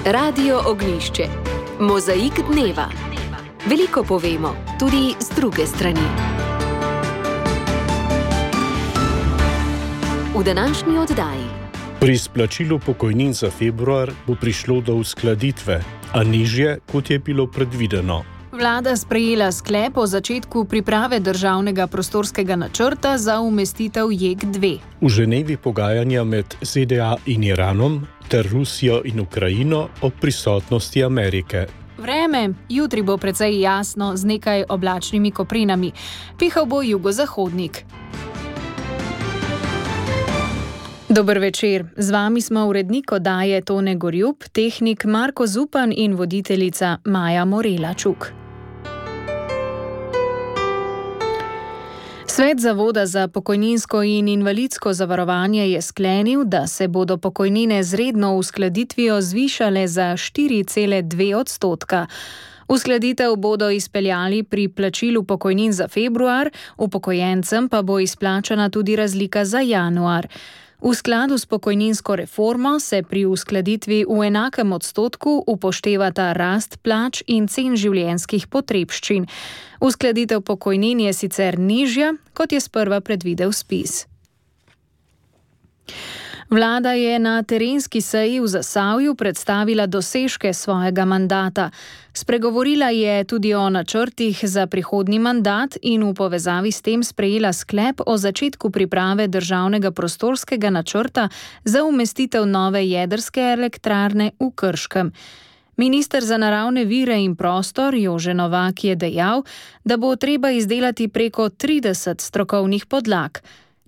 Radio Ognjišče. Mozaik dneva. Veliko povemo, tudi z druge strani. V današnji oddaji. Pri izplačilu pokojnin za februar bo prišlo do uskladitve, a nižje, kot je bilo predvideno. Vlada sprejela sklep o začetku priprave državnega prostorskega načrta za umestitev JEK2. V Ženevi pogajanja med ZDA in Iranom ter Rusijo in Ukrajino o prisotnosti Amerike. Vreme, jutri bo precej jasno z nekaj oblačnimi koprinami. Pihal bo jugozahodnik. Dober večer, z vami smo urednik oddaje Tone Gorjup, tehnik Marko Zupan in voditeljica Maja Morela-Čuk. Svet Zavoda za pokojninsko in invalidsko zavarovanje je sklenil, da se bodo pokojnine z redno uskladitvijo zvišale za 4,2%. Uskladitev bodo izpeljali pri plačilu pokojnin za februar, upokojencem pa bo izplačana tudi razlika za januar. V skladu s pokojninsko reformo se pri uskladitvi v enakem odstotku upoštevata rast plač in cen življenjskih potrebščin. Uskladitev pokojnin je sicer nižja, kot je sprva predvidel ZPIZ. Vlada je na terenski seji v Zasavju predstavila dosežke svojega mandata. Spregovorila je tudi o načrtih za prihodnji mandat in v povezavi s tem sprejela sklep o začetku priprave državnega prostorskega načrta za umestitev nove jedrske elektrarne v Krškem. Minister za naravne vire in prostor Jože Novak je dejal, da bo treba izdelati preko 30 strokovnih podlag.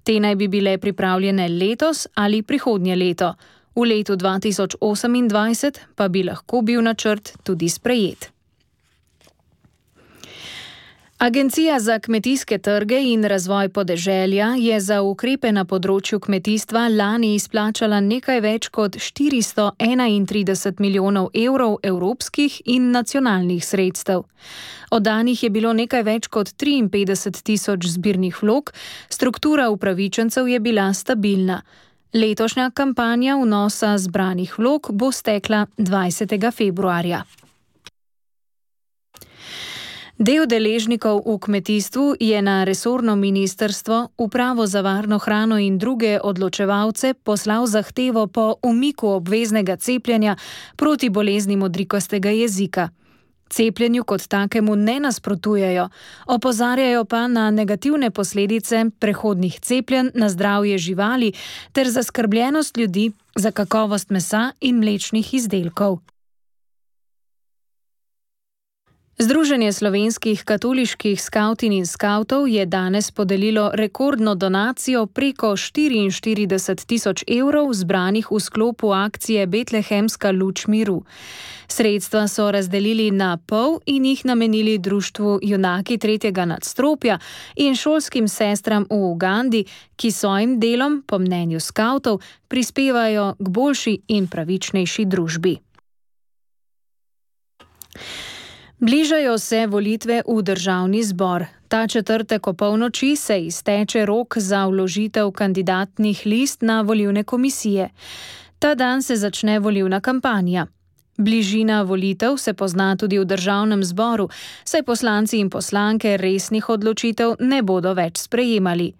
Te naj bi bile pripravljene letos ali prihodnje leto. V letu 2028 pa bi lahko bil načrt tudi sprejet. Agencija za kmetijske trge in razvoj podeželja je za ukrepe na področju kmetijstva lani izplačala nekaj več kot 431 milijonov evrov evropskih in nacionalnih sredstev. Oddanih je bilo nekaj več kot 53 tisoč zbirnih vlog, struktura upravičencev je bila stabilna. Letošnja kampanja vnosa zbranih vlog bo stekla 20. februarja. Del deležnikov v kmetijstvu je na resorno ministrstvo, Upravo za varno hrano in druge odločevalce poslal zahtevo po umiku obveznega cepljenja proti bolezni modrikastega jezika. Cepljenju kot takemu ne nasprotujejo, opozarjajo pa na negativne posledice prehodnih cepljenj na zdravje živali ter zaskrbljenost ljudi za kakovost mesa in mlečnih izdelkov. Združenje slovenskih katoliških skavtin in skavtov je danes podelilo rekordno donacijo preko 44 tisoč evrov zbranih v sklopu akcije Betlehemska luč miru. Sredstva so razdelili na pol in jih namenili društvu Junaki tretjega nadstropja in šolskim sestram v Ugandi, ki svojim delom, po mnenju skavtov, prispevajo k boljši in pravičnejši družbi. Bližajo se volitve v državni zbor. Ta četrtek opolnoči se izteče rok za vložitev kandidatnih list na volilne komisije. Ta dan se začne volilna kampanja. Bližina volitev se pozna tudi v državnem zboru, saj poslanci in poslanke resnih odločitev ne bodo več sprejemali.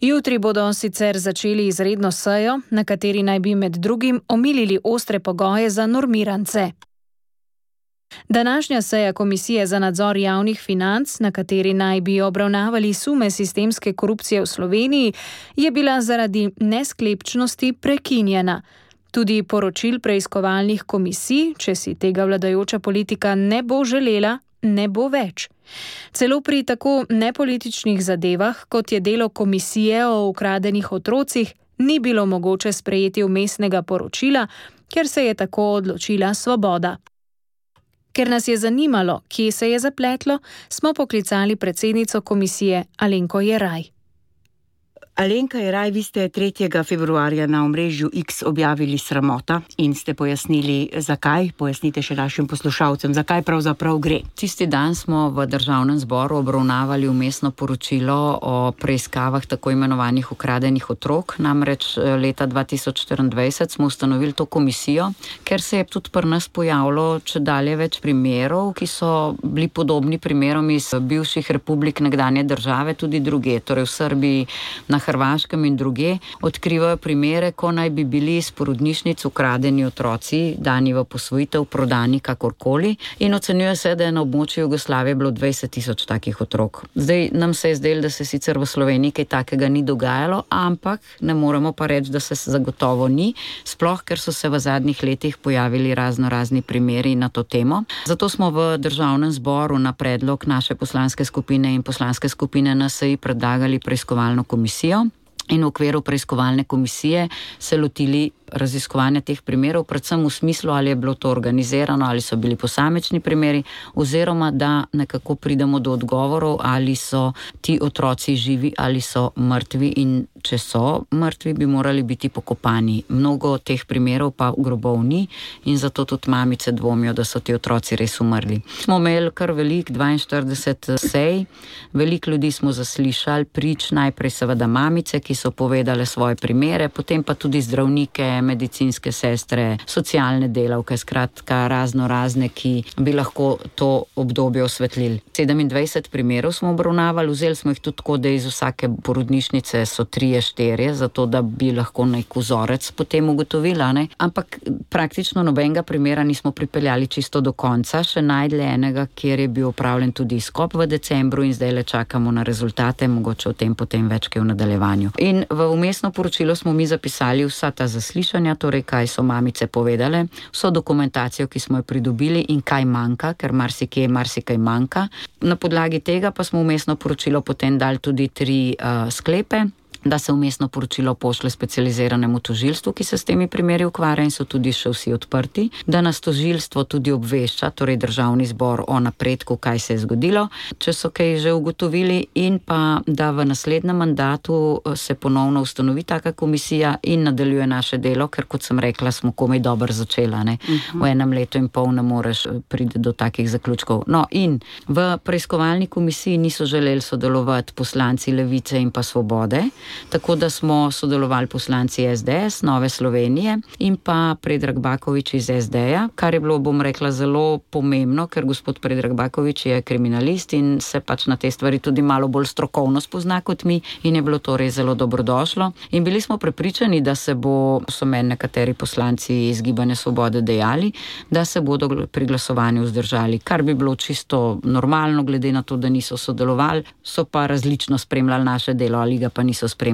Jutri bodo sicer začeli izredno sejo, na kateri naj bi med drugim omilili ostre pogoje za normirance. Današnja seja Komisije za nadzor javnih financ, na kateri naj bi obravnavali sume sistemske korupcije v Sloveniji, je bila zaradi nesklepčnosti prekinjena. Tudi poročil preiskovalnih komisij, če si tega vladajoča politika ne bo želela, ne bo več. Celo pri tako nepolitičnih zadevah, kot je delo komisije o ukradenih otrocih, ni bilo mogoče sprejeti vmesnega poročila, ker se je tako odločila Svoboda. Ker nas je zanimalo, kje se je zapletlo, smo poklicali predsednico komisije Alenko Jeraj. Alenka Jeraj, vi ste 3. februarja na omrežju X objavili Sramota in ste pojasnili, zakaj. Pojasnite še našim poslušalcem, zakaj pravzaprav gre. Tisti dan smo v Državnem zboru obravnavali vmesno poročilo o preiskavah tako imenovanih ukradenih otrok. Namreč leta 2024 smo ustanovili to komisijo, ker se je tudi pri nas pojavilo čedalje več primerov, ki so bili podobni primerom iz bivših republik nekdanje države, tudi druge, torej v Srbiji, na Hrvaškem in druge, odkrivajo primere, ko naj bi bili iz porodnišnic ukradeni otroci, dani v posvojitev, prodani kakorkoli, in ocenjuje se, da je na območju Jugoslavije bilo 20,000 takih otrok. Zdaj nam se je zdelo, da se sicer v Sloveniji kaj takega ni dogajalo, ampak ne moremo pa reči, da se zagotovo ni, sploh ker so se v zadnjih letih pojavili razni primeri na to temo. Zato smo v Državnem zboru na predlog naše poslanske skupine in poslanske skupine NSi predlagali preiskovalno komisijo in v okviru preiskovalne komisije se lotili raziskovanja teh primerov, predvsem v smislu, ali je bilo to organizirano, ali so bili posamečni primeri, oziroma da nekako pridemo do odgovorov, ali so ti otroci živi ali so mrtvi, in če so mrtvi, bi morali biti pokopani. Mnogo teh primerov pa grobov ni in zato tudi mamice dvomijo, da so ti otroci res umrli. Smo imeli kar velik, 42 sej, veliko ljudi smo zaslišali, prič, najprej seveda mamice, ki so povedale svoje primere, potem pa tudi zdravnike, medicinske sestre, socialne delavke, skratka razne, ki bi lahko to obdobje osvetlili. 27 primerov smo obravnavali, vzeli smo jih tudi tako, da iz vsake porodnišnice so 3-4, zato da bi lahko nek vzorec potem ugotovila, ne? Ampak praktično nobenega primera nismo pripeljali čisto do konca, še najdli enega, kjer je bil opravljen tudi izkop v decembru in zdaj le čakamo na rezultate, mogoče o tem potem več kaj v nadaljevanju. In v vmesno poročilo smo mi zapisali vsa ta zaslišanja, torej kaj so mamice povedale, vso dokumentacijo, ki smo jo pridobili in kaj manjka, ker marsikaj manjka. Na podlagi tega pa smo vmesno poročilo potem dali tudi 3 sklepe, da se vmesno poročilo pošle specializiranemu tožilstvu, ki se s temi primeri ukvarja in so tudi še vsi odprti, da nas tožilstvo tudi obvešča, torej Državni zbor, o napredku, kaj se je zgodilo, če so kaj že ugotovili, in pa da v naslednjem mandatu se ponovno ustanovi taka komisija in nadaljuje naše delo, ker kot sem rekla, smo komaj dobro začela, ne? V enem letu in pol ne moreš priti do takih zaključkov. No, in v preiskovalni komisiji niso želeli sodelovati poslanci Levice in pa Svobode, tako da smo sodelovali poslanci SDS, Nove Slovenije in pa Predrag Bakovič iz SD-ja, kar je bilo, bom rekla, zelo pomembno, ker gospod Predrag Bakovič je kriminalist in se pač na te stvari tudi malo bolj strokovno spozna kot mi in je bilo to res zelo dobrodošlo. In bili smo prepričani, da se so meni nekateri poslanci iz Gibanja Svobode dejali, da se bodo pri glasovanju vzdržali, kar bi bilo čisto normalno, glede na to, da niso sodelovali, so pa različno spremljali naše delo ali ga pa niso spremljali.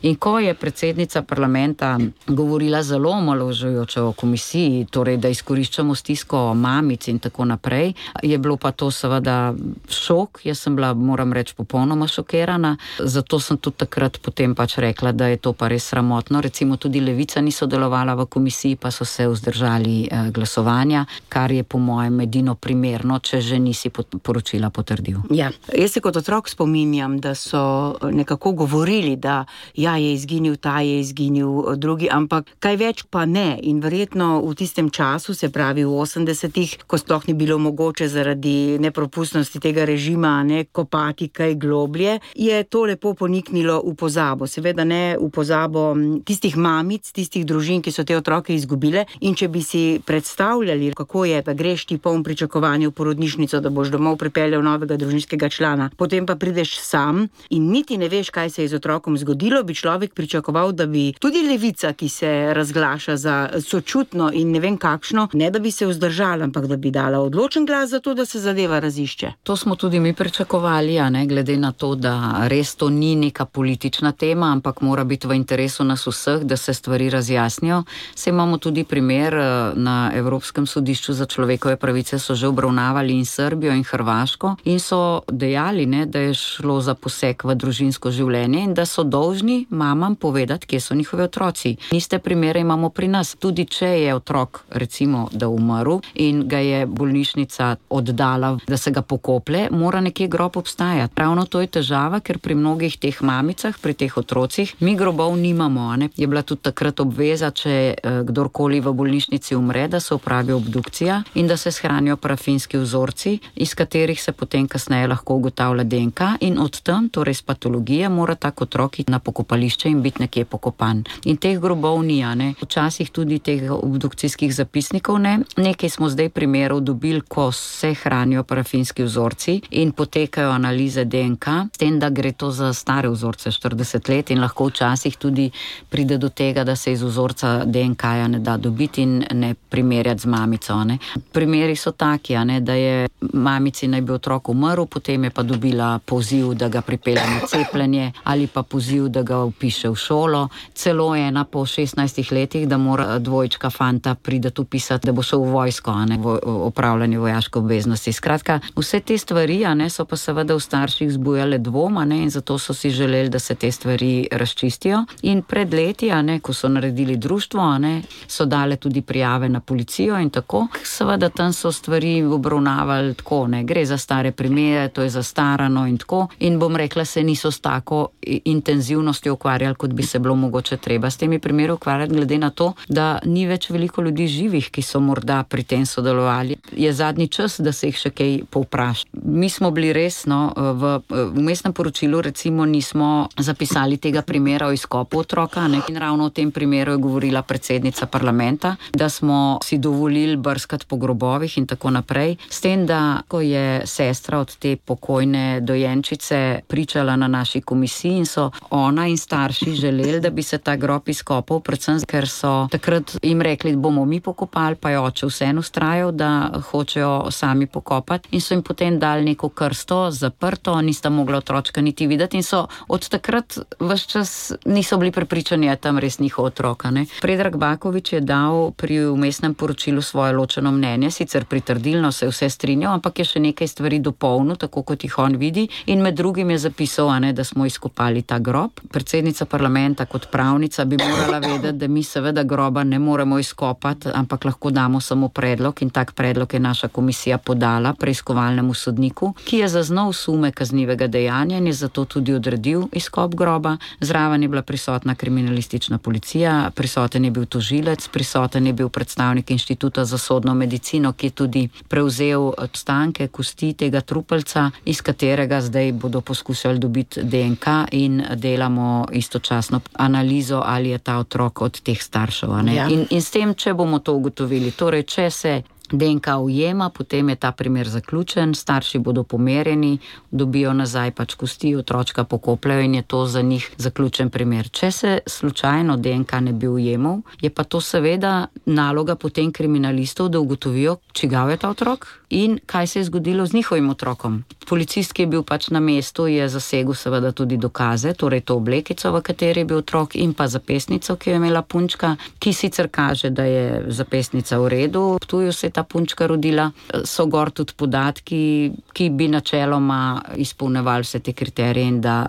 In ko je predsednica parlamenta govorila zelo omalovažujoče o komisiji, torej da izkoriščamo stisko mamic in tako naprej, je bilo pa to seveda šok. Jaz sem bila, moram reči, popolnoma šokirana, zato sem tudi takrat potem pač rekla, da je to pa res sramotno. Recimo tudi Levica ni sodelovala v komisiji, pa so se vzdržali glasovanja, kar je po mojem edino primerno, če že nisi poročila potrdil. Ja, jaz se kot otrok spominjam, da so nekako govorili, da je izginil ta, je izginil drugi, ampak kaj več pa ne. In verjetno v tistem času, se pravi v 80-ih, ko sploh ni bilo mogoče zaradi nepropustnosti tega režima kopati kaj globlje, je to lepo poniknilo v pozabo. Seveda ne v pozabo tistih mamic, tistih družin, ki so te otroke izgubile, in če bi si predstavljali, kako je, da greš ti poln pričakovanja v porodnišnico, da boš domov pripeljal novega družinskega člana, potem pa prideš sam in niti ne veš, kaj se je z otrokom zgodilo, bi človek pričakoval, da bi tudi Levica, ki se razglaša za sočutno in ne vem kakšno, ne da bi se vzdržala, ampak da bi dala odločen glas za to, da se zadeva razišče. To smo tudi mi pričakovali, glede na to, da res to ni neka politična tema, ampak mora biti v interesu nas vseh, da se stvari razjasnijo. Se imamo tudi primer na Evropskem sodišču za človekove pravice, so že obravnavali in Srbijo in Hrvaško in so dejali, da je šlo za poseg v družinsko življenje in da so dolžni mamam povedati, kje so njihovi otroci. Niste primere imamo pri nas. Tudi če je otrok, recimo, da umrl in ga je bolnišnica oddala, da se ga pokoplje, mora nekje grob obstajati. Ravno to je težava, ker pri mnogih teh mamicah, pri teh otrocih, mi grobov nimamo. Ne? Je bila tudi takrat obveza, če kdorkoli v bolnišnici umre, da se opravi obdukcija in da se shranijo parafinski vzorci, iz katerih se potem kasneje lahko ugotavlja DNK in od tam, torej iz patologije, mora tak otrok iti na pokopališče in biti nekje pokopan. In teh grobov ni, ne? Včasih tudi teh obdukcijskih zapisnikov ne. Nekaj smo zdaj primerov dobili, ko se hranijo parafinski vzorci in potekajo analize DNK, s tem, da gre to za stare vzorce, 40 let in lahko včasih tudi pride do tega, da se iz vzorca DNK-ja ne da dobiti in ne primerjati z mamico. Ne. Primeri so taki, ne, da je mamici naj bi otrok umrl, potem je pa dobila poziv, da ga pripelje na cepljenje ali pa poziv, da ga vpiše v šolo. Celo ena po 16 letih, da mora dvojčka fanta pridati upisati, da bo šel v vojsko, ne, v opravljanje vojaške obveznosti. Skratka, vse te stvari, ne, so pa seveda v starših zbujale dvoma, ne, in zato so si želeli, da se te stvari razčistijo. In pred leti, ne, ko so naredili društvo, ne, so dale tudi prijave na policijo in tako. Seveda tam so stvari obravnavali tako, ne, gre za stare primere, to je zastarano in tako. In bom rekla, se niso s tako intenzivnostjo ukvarjali, kot bi se bilo mogoče treba s temi primeri ukvarjati, glede na to, da ni več veliko ljudi živih, ki so morda pri tem sodelovali. Je zadnji čas, da se jih še kaj povpraša. Mi smo bili res, no, v vmesnem poročilu recimo nismo zapisali tega primera o izkopu otroka, ne? In ravno o tem primeru je govorila predsednica parlamenta, da smo si dovolili brskati po grobovih in tako naprej. S tem, da ko je sestra od te pokojne dojenčice pričala na naši komisiji in so ona in starši želeli, da bi se ta grob izkopal, predvsem ker so takrat jim rekli, bomo mi pokopali, pa je oče vseeno vztrajal, da hočejo sami pokopati in so jim potem dali neko krsto, zaprto, nista mogla otročka niti videti in so od takrat ves čas niso bili prepričani, da je tam res njihov otroka. Ne? Predrag Bakovič je dal pri vmesnem poročilu svoje ločeno mnenje, sicer pritrdilno se vse strinjal, ampak je še nekaj stvari dopolnil, tako kot jih on vidi in med drugim je zapisal, ne, da smo izkopali ta grob. Predsednica parlamenta kot pravnica bi morala vedeti, da mi seveda groba ne moremo izkopati, ampak lahko damo samo predlog in tak predlog je naša komisija podala preiskovalnemu sodniku, ki je zaznal sume kaznivega dejanja in je zato tudi odredil izkop groba. Zraven je bila prisotna kriminalistična policija, prisoten je bil tožilec, prisoten je bil predstavnik Inštituta za sodno medicino, ki je tudi prevzel ostanke kosti tega trupelca, iz katerega zdaj bodo poskušali dobiti DNK in delamo istočasno analizo, ali je ta otrok od teh staršev. Ja. In s tem, če bomo to ugotovili, torej, če se DNK ujema, potem je ta primer zaključen, starši bodo pomerjeni, dobijo nazaj pač kosti, otročka pokopljajo in je to za njih zaključen primer. Če se slučajno DNK ne bi ujemal, je pa to seveda naloga potem kriminalistov, da ugotovijo, čigav je ta otrok in kaj se je zgodilo z njihovim otrokom. Policist, ki je bil pač na mestu, je zasegel seveda tudi dokaze, torej to oblekico, v kateri je bil otrok in pa zapestnico, ki jo je imela punčka, ki sicer kaže, da je zapestnica v redu, Ptuju se je ta punčka rodila, so gor tudi podatki, ki bi načeloma izpolnevali vse te kriterije in da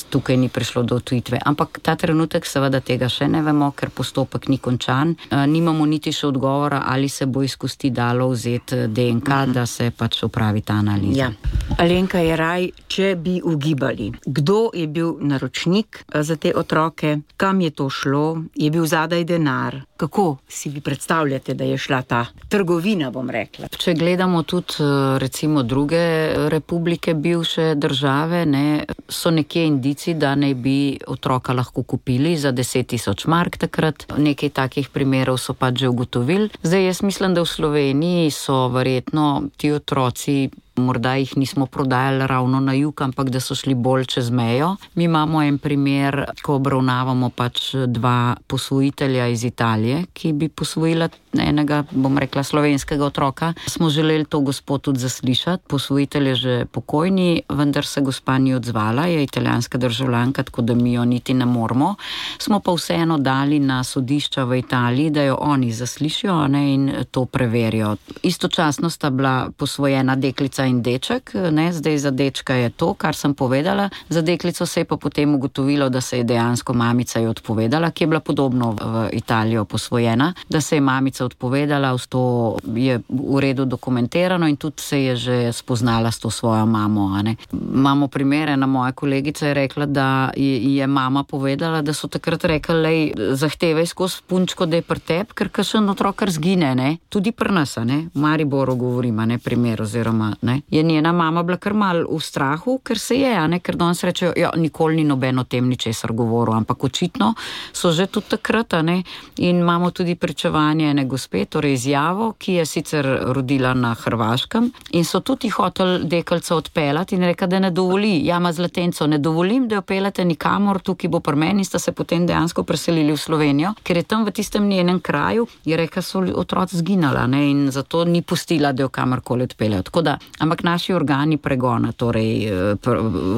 tukaj ni prišlo do odtujitve. Ampak ta trenutek seveda tega še ne vemo, ker postopek ni končan. Nimamo niti še odgovora, ali se bo iz kosti dalo vzeti DNK, da se pač opravi ta analiza. Ja. Alenka Jeraj, če bi ugibali, kdo je bil naročnik za te otroke, kam je to šlo, je bil zadaj denar, kako si vi predstavljate, da je šla ta trgovina, bom rekla? Če gledamo tudi recimo druge republike bivše države, ne, so nekje indici, da naj bi otroka lahko kupili za 10.000 mark takrat. Nekaj takih primerov so pač že ugotovili. Zdaj jaz mislim, da v Sloveniji so verjetno ti otroci, morda jih nismo prodajali ravno na jug, ampak da so šli bolj čez mejo. Mi imamo en primer, ko obravnavamo pač dva posvojitelja iz Italije, ki bi posvojila enega, bom rekla, slovenskega otroka. Smo želeli to gospo tudi zaslišati. Posvojitelj je že pokojni, vendar se gospa ni odzvala, je italijanska državljanka, tako da mi jo niti ne moramo. Smo pa vseeno dali na sodišča v Italiji, da jo oni zaslišijo, ne, in to preverijo. Istočasno sta bila posvojena deklica deklica in deček, ne, zdaj za dečka je to, kar sem povedala, za deklico se je pa potem ugotovilo, da se je dejansko mamica je odpovedala, ki je bila podobno v Italijo posvojena, da se je mamica odpovedala, to je v redu dokumentirano in tudi se je že spoznala s to svojo mamo. Imamo primere, moja kolegica je rekla, da je mama povedala, da so takrat rekli, lej, zahtevaj skozi punčko, da je pri tebi, ker kakšen otrok kar zgine, ne? Tudi pri nas, ne? V Mariboru govorim, ne, primer oziroma, ne? Je njena mama bila kar mal v strahu, ker se je, ne? Ker danes rečejo, ja, nikoli ni noben o tem ničesar govoril, ampak očitno so že tudi takrat, ne? In imamo tudi pričevanje ene gospe, torej izjavo, ki je sicer rodila na Hrvaškem in so tudi hoteli deklico odpeljati in reka, da ne dovoli, ja, ima zlatenco, ne dovolim, da jo peljete nikamor, tukaj bo pri meni, in sta se potem dejansko preselili v Slovenijo, ker je tam v tistem njenem kraju, je reka, so otroci zginala, ne, in zato ni pustila, da jo kamorkoli odpeljajo. Tako da, ampak naši organi pregona, torej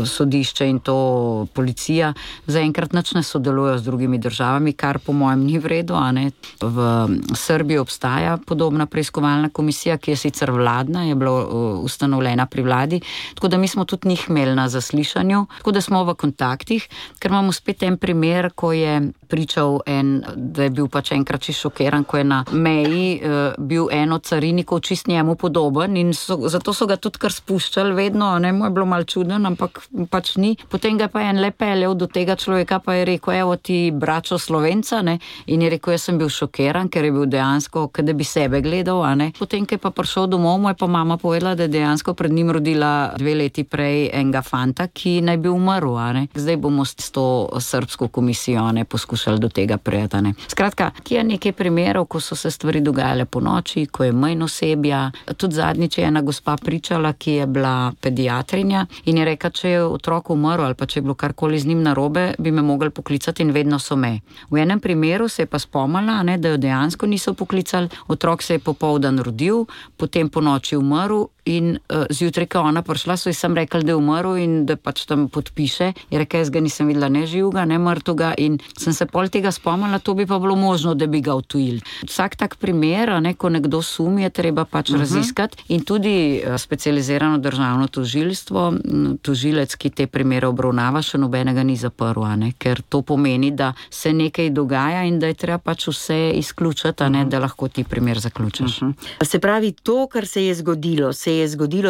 sodišče in to policija, zaenkrat nič ne sodelujejo z drugimi državami, kar po mojem ni v redu, a ne. V Srbiji obstaja podobna preiskovalna komisija, ki je sicer vladna, je bila ustanovljena pri vladi, tako da mi smo tudi njih imeli na zaslišanju, tako da smo v kontaktih, ker imamo spet en primer, ko je pričal da je bil pač enkrat čisto šokiran, ko je na meji bil en od carinikov čist njemu podoben in zato so ga tudi kar spuščali vedno, ne, mu je bilo malo čuden, ampak pač ni. Potem ga pa en le peljal do tega človeka, pa je rekel, evo ti bračo Slovenca, ne, in je rekel, jaz sem bil šokiran, ker je bil dejansko, kada bi sebe gledal, a ne. Potem, ko je pa prišel domov, mu je pa mama povedala, da je dejansko pred njim rodila 2 leti prej enega fanta, ki naj bi umrl, a ne. Zdaj bomo s to srbsko komisijo, ne, poskušali do tega prijeti, ne. Skratka, ki je nekaj primerov, ko so se stvari dogajale po noči, ko je manj osebja. Tudi zadnjič je ena gospa pričala, ki je bila pediatrinja in je rekla, če je otrok umrl ali pa če je bilo karkoli z njim narobe, bi me mogli poklicati in vedno so me. V enem primeru se je pa spomnila, ne, da jo dejansko niso poklicali, otrok se je popoldan rodil, potem po noči umrl in zjutraj, ko ona prišla, so ji sam rekli, da je umrl in da pač tam podpiše. Je rekla, jaz ga nisem videla ne živega, ne mrtvega in sem se pol tega spomnila, to bi pa bilo možno, da bi ga utujili. Vsak tak primer, ne, ko nekdo sumi, je treba pač raziskati in tudi specializirano državno tožilstvo, tožilec, ki te primere obravnava, še nobenega ni zaprl, ne, ker to pomeni, da se nekaj dogaja in da je treba pač vse izključiti, ne, da lahko ti primer zaključiš. Se pravi, to, kar se je zgodilo,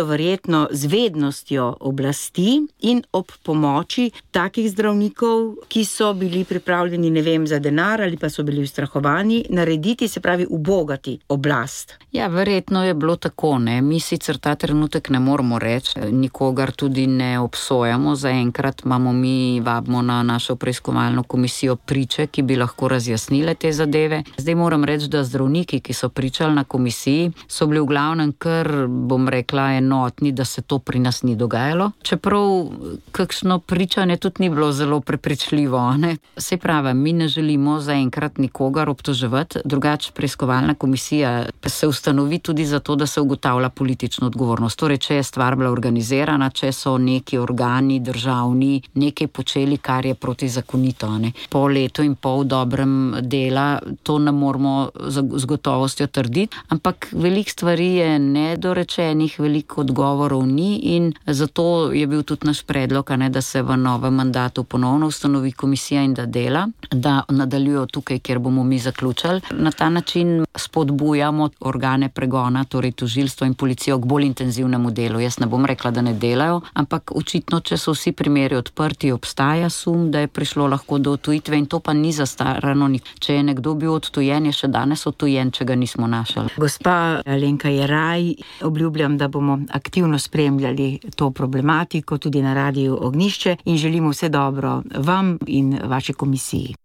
verjetno z vednostjo oblasti in ob pomoči takih zdravnikov, ki so bili pripravljeni, ne vem, za denar ali pa so bili ustrahovani, narediti, se pravi, ubogati oblast. Ja, verjetno je bilo tako, ne. Mi sicer ta trenutek ne moramo reči, nikogar tudi ne obsojamo, zaenkrat imamo mi, vabimo na našo preiskovalno komisijo priče, ki bi lahko razjasnile te zadeve. Zdaj moram reči, da zdravniki, ki so pričali na komisiji, so bili v glavnem kar, bom rekla, enotni, da se to pri nas ni dogajalo. Čeprav kakšno pričanje tudi ni bilo zelo prepričljivo, ne. Se pravi, mi ne želimo zaenkrat nikogar obtoževati, drugače preiskovalna komisija se ustanovi tudi zato, da se ugotavlja politično odgovornost. Torej, če je stvar bila organizirana, če so neki organi državni nekaj počeli, kar je protizakonito, ne. Po letu in pol dobrem dela to ne moramo z gotovostjo trditi, ampak veliko stvari je nedorečenih, veliko odgovorov ni in zato je bil tudi naš predlog, ne, da se v novem mandatu ponovno ustanovi komisija in da dela, da nadaljujo tukaj, kjer bomo mi zaključili. Na ta način spodbujamo organe pregona, torej tožilstvo in policijo k bolj intenzivnemu delu. Jaz ne bom rekla, da ne delajo, ampak očitno, če so vsi primeri odprti, obstaja sum, da je prišlo lahko do odtujitve in to pa ni zastarano. Če je nekdo bil odtujen, je še danes odtujen, če ga nismo našli. Gospa Alenka Jeraj, obljubljam, da bomo aktivno spremljali to problematiko tudi na Radiu Ognjišče in želimo vse dobro vam in vaši komisiji.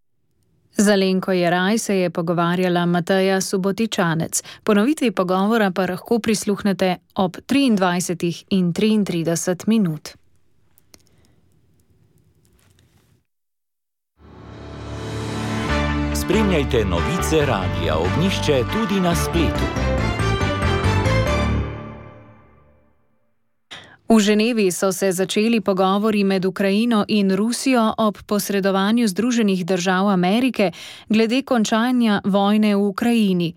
Z Alenko Jeraj se je pogovarjala Mateja Subotičanec. Ponovitvi pogovora pa lahko prisluhnete ob 23:33. Spremljajte novice Radia Ognjišče tudi na spletu. V Ženevi so se začeli pogovori med Ukrajino in Rusijo ob posredovanju Združenih držav Amerike glede končanja vojne v Ukrajini.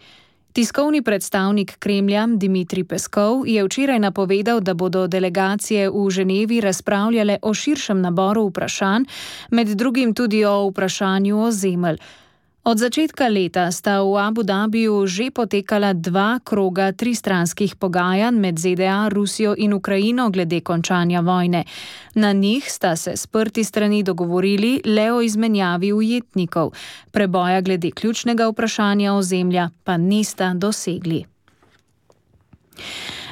Tiskovni predstavnik Kremlja Dmitrij Peskov je včeraj napovedal, da bodo delegacije v Ženevi razpravljale o širšem naboru vprašanj, med drugim tudi o vprašanju ozemelj. Od začetka leta sta v Abu Dhabiju že potekala 2 kroga tristranskih pogajanj med ZDA, Rusijo in Ukrajino glede končanja vojne. Na njih sta se sprti strani dogovorili le o izmenjavi ujetnikov. Preboja glede ključnega vprašanja ozemlja pa nista dosegli.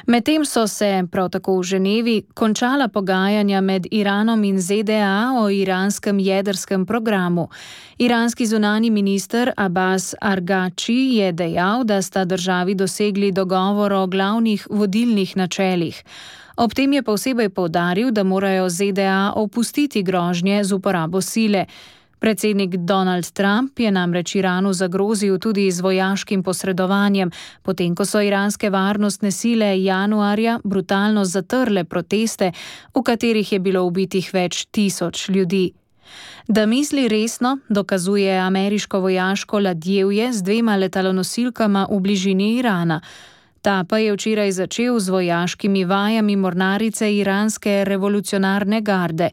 Medtem so se, prav tako v Ženevi, končala pogajanja med Iranom in ZDA o iranskem jedrskem programu. Iranski zunanji minister Abbas Arghači je dejal, da sta državi dosegli dogovor o glavnih vodilnih načelih. Ob tem je posebej poudaril, da morajo ZDA opustiti grožnje z uporabo sile. Predsednik Donald Trump je namreč Iranu zagrozil tudi z vojaškim posredovanjem, potem ko so iranske varnostne sile januarja brutalno zatrle proteste, v katerih je bilo ubitih več 1000 ljudi. Da misli resno, dokazuje ameriško vojaško ladjevje z 2 letalonosilkama v bližini Irana. Ta pa je včeraj začel z vojaškimi vajami mornarice iranske revolucionarne garde.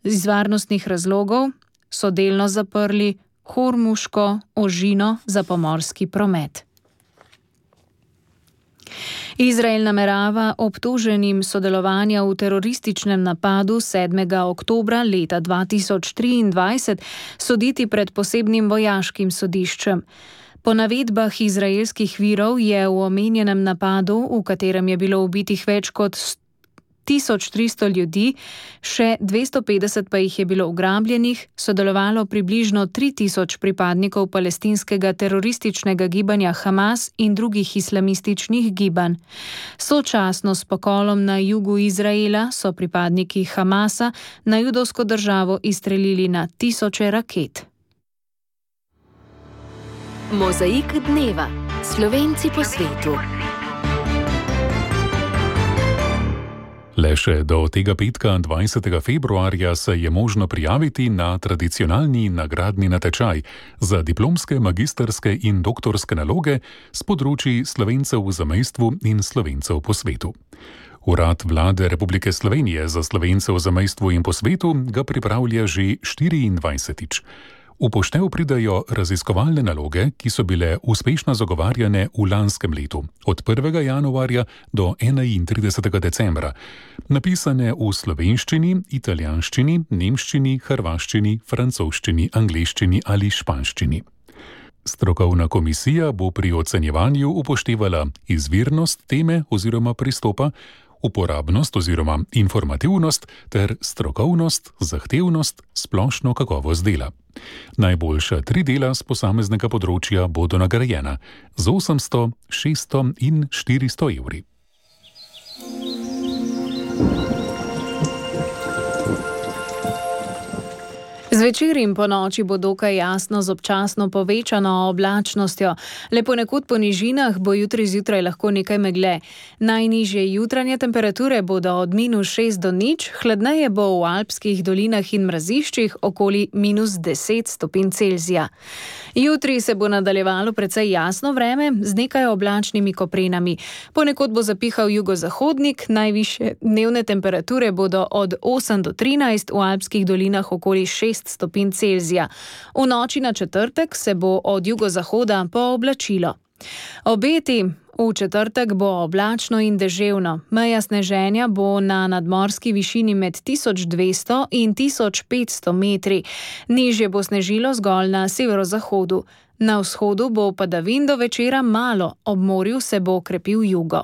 Iz varnostnih razlogov so delno zaprli Hormuško ožino za pomorski promet. Izrael namerava obtoženim sodelovanja v terorističnem napadu 7. oktobra leta 2023 soditi pred posebnim vojaškim sodiščem. Po navedbah izraelskih virov je v omenjenem napadu, v katerem je bilo ubitih več kot 1300 ljudi, še 250 pa jih je bilo ugrabljenih, sodelovalo približno 3000 pripadnikov palestinskega terorističnega gibanja Hamas in drugih islamističnih gibanj. Sočasno s pokolom na jugu Izraela so pripadniki Hamasa na judovsko državo izstrelili na 1000 raket. Mozaik dneva. Slovenci po svetu. Le še do tega petka 20. februarja se je možno prijaviti na tradicionalni nagradni natečaj za diplomske, magistrske in doktorske naloge s področji Slovencev v zamejstvu in Slovencev po svetu. Urad Vlade Republike Slovenije za Slovence v zamejstvu in po svetu ga pripravlja že 24. V poštev pridajo raziskovalne naloge, ki so bile uspešno zagovarjane v lanskem letu, od 1. januarja do 31. decembra, napisane v slovenščini, italijanščini, nemščini, hrvaščini, francoščini, angleščini ali španščini. Strokovna komisija bo pri ocenjevanju upoštevala izvirnost teme oziroma pristopa, uporabnost oziroma informativnost ter strokovnost, zahtevnost, splošno kakovost dela. Najboljša 3 dela z posameznega področja bodo nagrajena z 800, 600 in 400 evri. Zvečer in po noči bo dokaj jasno z občasno povečano oblačnostjo. Le ponekod po nižinah bo jutri zjutraj lahko nekaj megle. Najnižje jutranje temperature bodo od -6 do 0, hladneje bo v alpskih dolinah in mraziščih okoli -10 stopinj Celzija. Jutri se bo nadaljevalo precej jasno vreme z nekaj oblačnimi koprenami. Ponekod bo zapihal jugozahodnik, najvišje dnevne temperature bodo od 8 do 13, v alpskih dolinah okoli 6 stopinj Celzija. V noči na četrtek se bo od jugozahoda pooblačilo. Obeti: v četrtek bo oblačno in deževno. Meja sneženja bo na nadmorski višini med 1200 in 1500 metri. Nižje bo snežilo zgolj na severozahodu. Na vzhodu bo padavin do večera malo, ob morju se bo krepil jugo.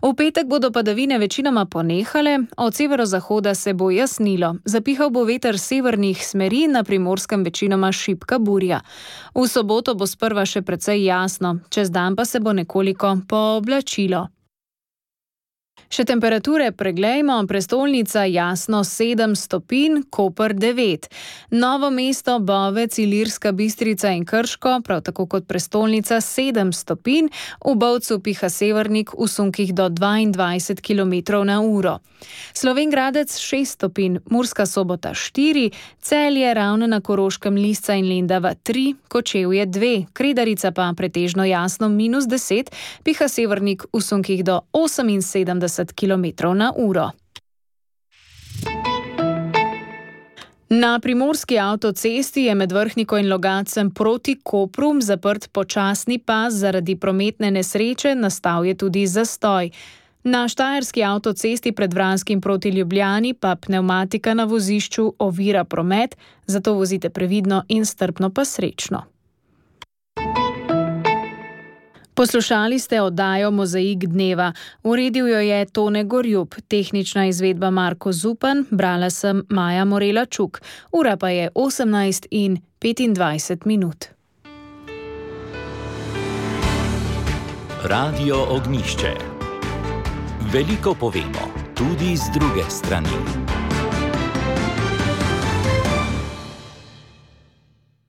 V petek bodo padavine večinoma ponehale, od severozahoda se bo jasnilo. Zapihal bo veter severnih smeri, na Primorskem večinoma šibka burja. V soboto bo sprva še precej jasno, čez dan pa se bo nekoliko pooblačilo. Še temperature preglejmo, prestolnica jasno 7 stopinj, Koper 9. Novo mesto, Bovec, Ilirska Bistrica in Krško, prav tako kot prestolnica 7 stopinj, v Bovcu piha severnik v sunkih do 22 km/h. Slovenj Gradec 6 stopinj, Murska Sobota 4, Celje, Ravne na Koroškem, Lisca in Lendava 3, Kočevje 2, Kredarica pa pretežno jasno -10, piha severnik v sunkih do 78 km/h. Na primorski avtocesti je med Vrhniko in Logatcem proti Kopru zaprt počasni pas zaradi prometne nesreče, nastal je tudi zastoj. Na štajerski avtocesti pred Vranskim proti Ljubljani pa pnevmatika na vozišču ovira promet, zato vozite previdno in strpno pa srečno. Poslušali ste oddajo Mozaik dneva. Uredil jo je Tone Gorjup, tehnična izvedba Marko Zupan, brala sem Maja Morela Čuk. Ura pa je 18:25. Radio Ognjišče. Veliko povemo, tudi z druge strani.